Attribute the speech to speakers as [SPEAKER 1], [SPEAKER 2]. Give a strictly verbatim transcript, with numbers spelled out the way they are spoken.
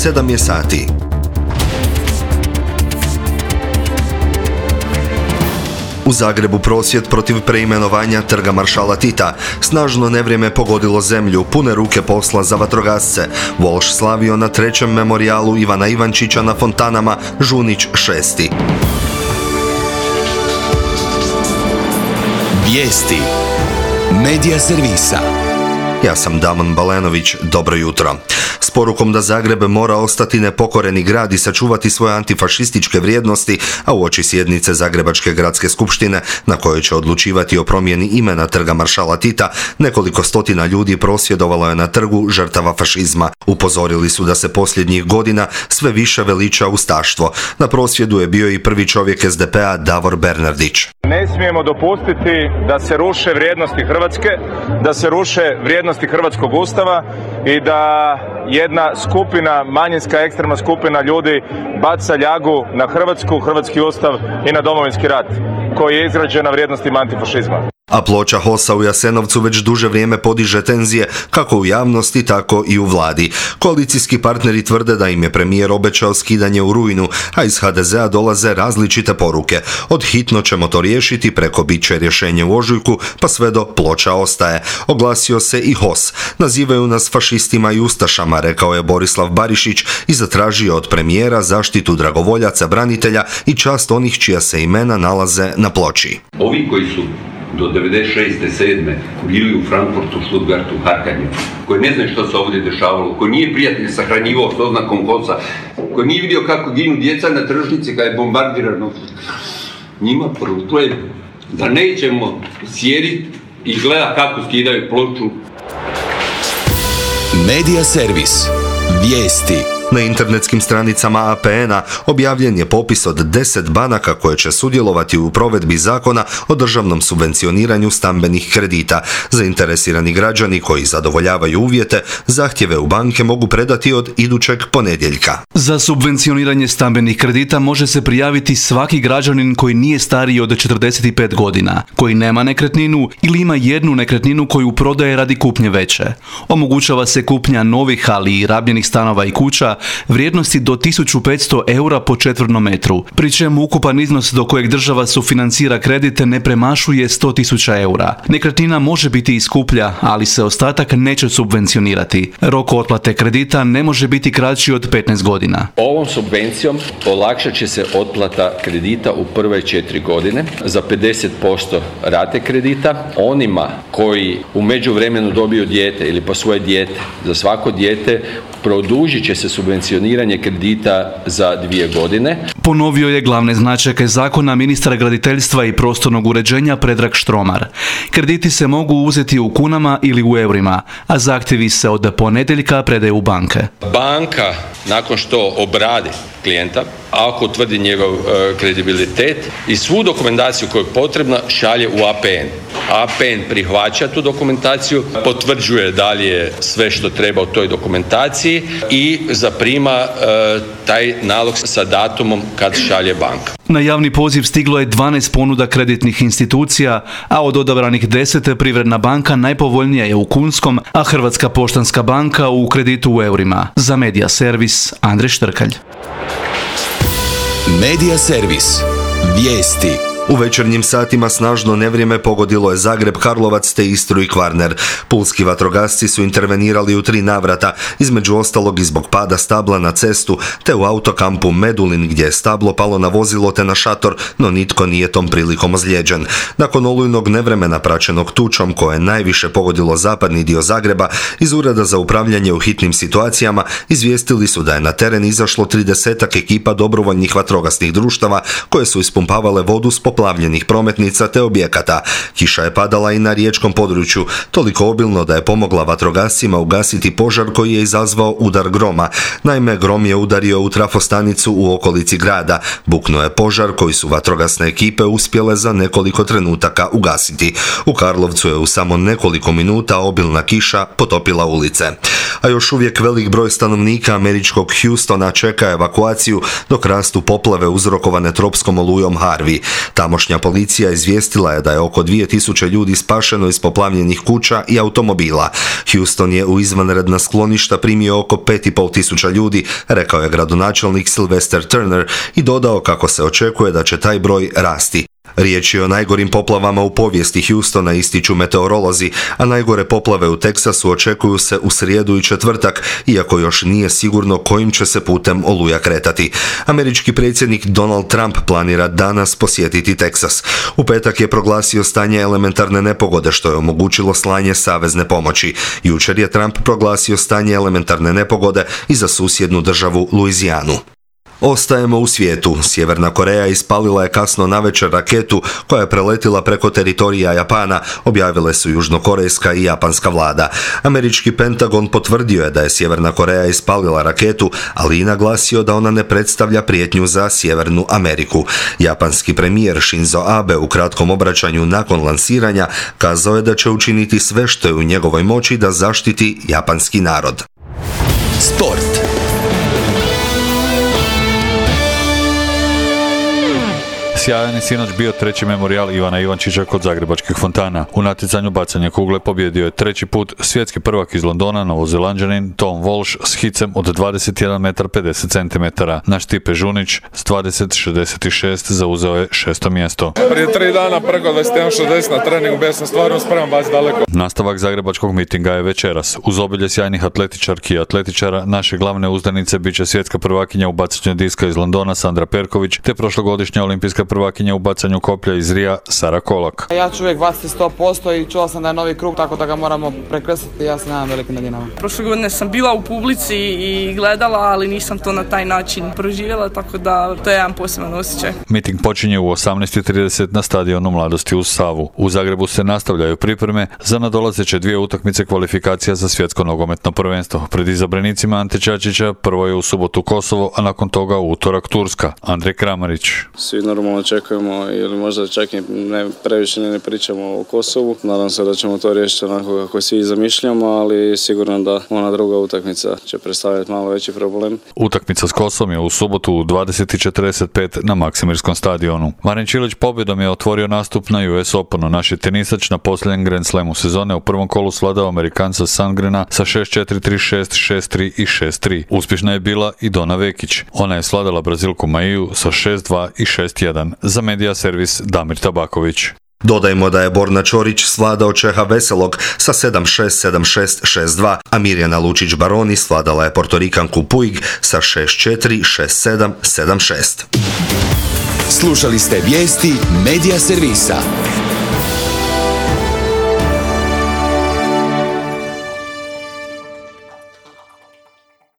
[SPEAKER 1] sedam je sati. U Zagrebu prosvjed protiv preimenovanja Trga maršala Tita. Snažno nevrijeme pogodilo zemlju, pune ruke posla za vatrogasce. Volš slavio na trećem memorijalu Ivana Ivančića na Fontanama, Žunić šesti.
[SPEAKER 2] Vijesti Medija servisa.
[SPEAKER 1] Ja sam Damon Balenović, dobro jutro. S porukom da Zagreb mora ostati nepokoreni grad i sačuvati svoje antifašističke vrijednosti, a uoči sjednice Zagrebačke gradske skupštine, na kojoj će odlučivati o promjeni imena Trga maršala Tita, nekoliko stotina ljudi prosvjedovalo je na trgu žrtava fašizma. Upozorili su da se posljednjih godina sve više veliča ustaštvo. Na prosvjedu je bio i prvi čovjek es de pe a Davor Bernardić.
[SPEAKER 3] Ne smijemo dopustiti da se ruše vrijednosti Hrvatske, da se ruše vrijednosti Hrvatskog ustava i da jedna skupina, manjinska ekstremna skupina ljudi baca ljagu na Hrvatsku, hrvatski ustav i na Domovinski rat koji je izrađen na vrijednostima antifašizma.
[SPEAKER 1] A ploča HOS-a u Jasenovcu već duže vrijeme podiže tenzije kako u javnosti, tako i u vladi. Koalicijski partneri tvrde da im je premijer obećao skidanje u rujnu, a iz ha de ze a dolaze različite poruke. Od hitno ćemo to riješiti preko bit će rješenje u ožujku, pa sve do ploča ostaje. Oglasio se i HOS. Nazivaju nas fašistima i ustašama, rekao je Borislav Barišić i zatražio od premijera zaštitu dragovoljaca, branitelja i čast onih čija se imena nalaze na ploči.
[SPEAKER 4] Ovi koji su do devedeset šeste sedme bili u Frankfurtu, Stuttgartu, Harkanju, koji ne znaju što se ovdje dešavalo, koji nije prijatelj sahranjivao s oznakom HOS-a, koji nije vidio kako ginu djeca na tržnici kada je bombardirano. Njima prvo je da nećemo sjediti i gleda kako skidaju ploču.
[SPEAKER 2] Medija servis. Vijesti.
[SPEAKER 1] Na internetskim stranicama a pe en-a objavljen je popis od deset banaka koje će sudjelovati u provedbi zakona o državnom subvencioniranju stambenih kredita. Zainteresirani građani koji zadovoljavaju uvjete, zahtjeve u banke mogu predati od idućeg ponedjeljka.
[SPEAKER 5] Za subvencioniranje stambenih kredita može se prijaviti svaki građanin koji nije stariji od četrdeset pet godina, koji nema nekretninu ili ima jednu nekretninu koju prodaje radi kupnje veće. Omogućava se kupnja novih, ali i rabljenih stanova i kuća vrijednosti do tisuću petsto eura po četvrnom metru, pri čemu ukupan iznos do kojeg država sufinancira kredite ne premašuje sto tisuća eura. Nekretnina može biti i skuplja, ali se ostatak neće subvencionirati. Rok otplate kredita ne može biti kraći od petnaest godina.
[SPEAKER 6] Ovom subvencijom olakšat će se otplata kredita u prve četiri godine za pedeset posto rate kredita. Onima koji u međuvremenu dobiju dijete ili po svoje dijete, za svako dijete produžit će se subvencioniranje kredita za dvije godine.
[SPEAKER 5] Ponovio je glavne značajke zakona ministra graditeljstva i prostornog uređenja Predrag Štromar. Krediti se mogu uzeti u kunama ili u eurima, a zahtjevi se od ponedjeljka predaju u banke.
[SPEAKER 6] Banka, nakon što obradi klijenta, ako utvrdi njegov e, kredibilitet i svu dokumentaciju koja je potrebna, šalje u a pe en. a pe en prihvaća tu dokumentaciju, potvrđuje dalje sve što treba u toj dokumentaciji i zaprima e, taj nalog sa datumom kad šalje banka.
[SPEAKER 5] Na javni poziv stiglo je dvanaest ponuda kreditnih institucija, a od odabranih deset Privredna banka najpovoljnija je u kunskom, a Hrvatska poštanska banka u kreditu u eurima. Za Medija servis Andrej Štrkalj.
[SPEAKER 2] Medija servis. Vijesti.
[SPEAKER 1] U večernjim satima snažno nevrijeme pogodilo je Zagreb, Karlovac te Istru i Kvarner. Pulski vatrogasci su intervenirali u tri navrata, između ostalog i zbog pada stabla na cestu, te u autokampu Medulin gdje je stablo palo na vozilo te na šator, no nitko nije tom prilikom ozlijeđen. Nakon olujnog nevremena praćenog tučom koje je najviše pogodilo zapadni dio Zagreba, iz Ureda za upravljanje u hitnim situacijama izvijestili su da je na teren izašlo tridesetak ekipa dobrovoljnih vatrogasnih društava koje su ispumpavale vodu s poplavljenih prometnica te objekata. Kiša je padala i na riječkom području, toliko obilno da je pomogla vatrogascima ugasiti požar koji je izazvao udar groma. Naime, grom je udario u trafostanicu u okolici grada. Buknuo je požar koji su vatrogasne ekipe uspjele za nekoliko trenutaka ugasiti. U Karlovcu je u samo nekoliko minuta obilna kiša potopila ulice. a još uvijek velik broj stanovnika američkog Houstona čeka evakuaciju dok rastu poplave uzrokovane tropskom olujom Harvey. Tamošnja policija izvijestila je da je oko dvije tisuće ljudi spašeno iz poplavljenih kuća i automobila. Houston je u izvanredna skloništa primio oko pet i pol tisuća ljudi, rekao je gradonačelnik Sylvester Turner i dodao kako se očekuje da će taj broj rasti. Riječ je o najgorim poplavama u povijesti Houstona, ističu meteorolozi, a najgore poplave u Teksasu očekuju se u srijedu i četvrtak, iako još nije sigurno kojim će se putem oluja kretati. Američki predsjednik Donald Trump planira danas posjetiti Teksas. U petak je proglasio stanje elementarne nepogode, što je omogućilo slanje savezne pomoći. Jučer je Trump proglasio stanje elementarne nepogode i za susjednu državu Luizijanu. Ostajemo u svijetu. Sjeverna Koreja ispalila je kasno navečer raketu koja je preletila preko teritorija Japana, objavile su južnokorejska i japanska vlada. Američki Pentagon potvrdio je da je Sjeverna Koreja ispalila raketu, ali i naglasio da ona ne predstavlja prijetnju za Sjevernu Ameriku. Japanski premijer Shinzo Abe u kratkom obraćanju nakon lansiranja kazao je da će učiniti sve što je u njegovoj moći da zaštiti japanski narod.
[SPEAKER 2] Sport.
[SPEAKER 7] Sjajan je sinoć bio treći memorijal Ivana Ivančića kod zagrebačkih fontana. U natjecanju bacanja kugle pobjedio je treći put svjetski prvak iz Londona, Novozelanđanin Tom Walsh s hicem od dvadeset jedan metar pedeset centimetara. Naš Stipe Žunić s dvadeset šezdeset šest zauzeo je šesto mjesto.
[SPEAKER 8] Prije tri dana preko dvadeset jedan šezdeset na treningu, bio sam stvarno spreman baciti daleko.
[SPEAKER 7] Nastavak zagrebačkog mitinga je večeras. Uz obilje sjajnih atletičarki i atletičara, naše glavne uzdanice bit će svjetska prvakinja u bacanju diska iz Londona Sandra Perković, te prošlogodišnja olimpijska prvakinja u bacanju koplja iz Rija Sara Kolak.
[SPEAKER 9] Ja ću uvijek baciti sto posto i čuo sam da je novi krug, tako da ga moramo prekrstiti. Ja se nadam velikim nadinama.
[SPEAKER 10] Prošle godine sam bila u publici i gledala, ali nisam to na taj način proživjela, tako da to je jedan poseban osjećaj.
[SPEAKER 7] Miting počinje u osamnaest i trideset na stadionu Mladosti uz Savu. U Zagrebu se nastavljaju pripreme za nadolazeće dvije utakmice kvalifikacija za svjetsko nogometno prvenstvo. Pred izabranicima Ante Čačića prvo je u subotu Kosovo, a nakon toga u utorak Turska. Andrej Kramarić.
[SPEAKER 11] Svi normalno očekujemo ili možda čak i ne, previše ne pričamo o Kosovu. Nadam se da ćemo to riješiti onako kako svi zamišljamo, ali sigurno da ona druga utakmica će predstavljati malo veći problem.
[SPEAKER 7] Utakmica s Kosovom je u subotu u dvadeset i četrdeset pet na Maksimirskom stadionu. Marin Čilić pobjedom je otvorio nastup na U S Openu. Naš je tenisač na posljednjem Grand Slamu sezone u prvom kolu svladao Amerikanca Sandgrena sa šest četiri, tri šest, šest tri i šest tri. Uspješna je bila i Dona Vekić. Ona je svladala Brazilku Maiju sa šest dva i šest jedan. Za Media servis Damir Tabaković.
[SPEAKER 1] Dodajmo da je Borna Čorić svladao Čeha Veselog sa sedam šest, sedam šest, šest dva, a Mirjana Lučić-Baroni svladala je Portorikanku Puig sa šest četiri, šest sedam, sedam šest.
[SPEAKER 2] Slušali ste vijesti Media servisa.